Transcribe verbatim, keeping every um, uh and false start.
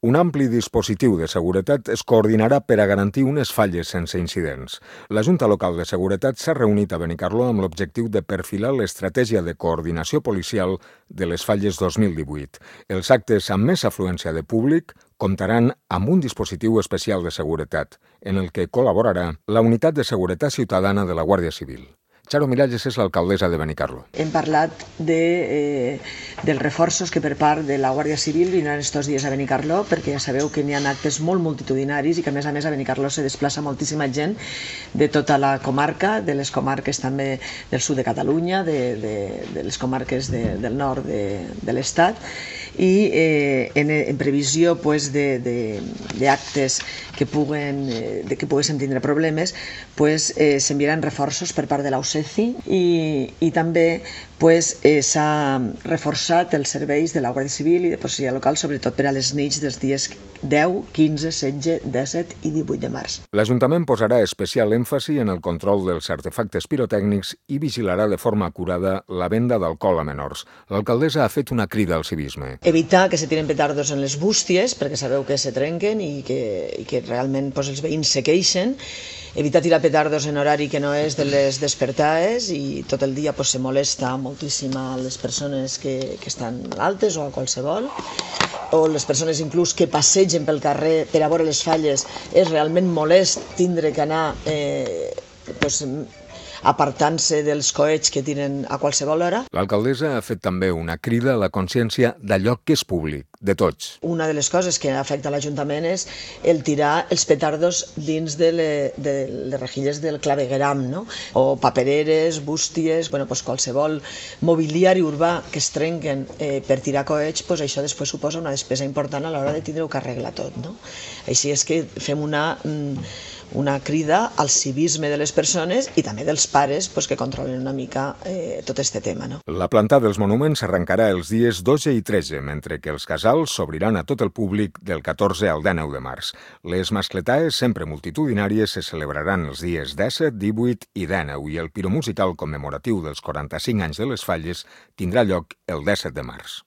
Un ampli dispositiu de seguretat es coordinarà per a garantir unes falles sense incidents. La Junta Local de Seguretat s'ha reunit a Benicarló amb l'objectiu de perfilar l'estratègia de coordinació policial de les falles dos mil divuit. Els actes amb més afluència de públic comptaran amb un dispositiu especial de seguretat, en el que col·laborarà la Unitat de Seguretat Ciutadana de la Guàrdia Civil. Charo Miralles és l'alcaldessa de Benicarló. Hem parlat de, eh, dels reforços que per part de la Guàrdia Civil vindran estos dies a Benicarló, perquè ja sabeu que n'hi ha actes molt multitudinaris i que a més a més a Benicarló se desplaça moltíssima gent de tota la comarca, de les comarques també del sud de Catalunya, de, de, de les comarques de, del nord de, de l'estat, i eh, en, en previsió pues, d'actes que puguen, eh, de que poguéssim tindre problemes, pues, eh, s'enviaran reforços per part de la U C E C I i, i també pues, eh, s'ha reforçat els serveis de la Guàrdia Civil i de policia local, sobretot per a les nits dels dies deu, quinze, setze, disset i divuit de març. L'Ajuntament posarà especial èmfasi en el control dels artefactes pirotècnics i vigilarà de forma acurada la venda d'alcohol a menors. L'alcaldessa ha fet una crida al civisme. Evitar que se tiren petardos en les bústies, perquè sabeu que se trenquen i que, i que realment pues, els veïns se queixen. Evitar tirar petardos en horari que no és de les despertades i tot el dia pues, se molesta moltíssim a les persones que, que estan altes o a qualsevol, o les persones inclús que passegen pel carrer per a veure les falles. És realment molest tindre que anar eh, pues, apartant-se dels coets que tiren a qualsevol hora. L'alcaldessa ha fet també una crida a la consciència d'allò que és públic, de tots. Una de les coses que afecta l'Ajuntament és el tirar els petardos dins de, le, de les rejilles del clavegueram, no? O papereres, bústies, bueno, pues qualsevol mobiliari urbà que es trenquen eh, per tirar coets, pues això després suposa una despesa important a l'hora de tindre-ho que arreglar tot, no? Així és que fem una... Mm, una crida al civisme de les persones i també dels pares pues, que controlen una mica eh, tot este tema. No? La planta dels monuments s'arrencarà els dies dotze i tretze, mentre que els casals s'obriran a tot el públic del catorze al dinou de març. Les mascletaes, sempre multitudinàries, se celebraran els dies disset, divuit i dinou i el piromusical commemoratiu dels quaranta-cinc anys de les falles tindrà lloc el disset de març.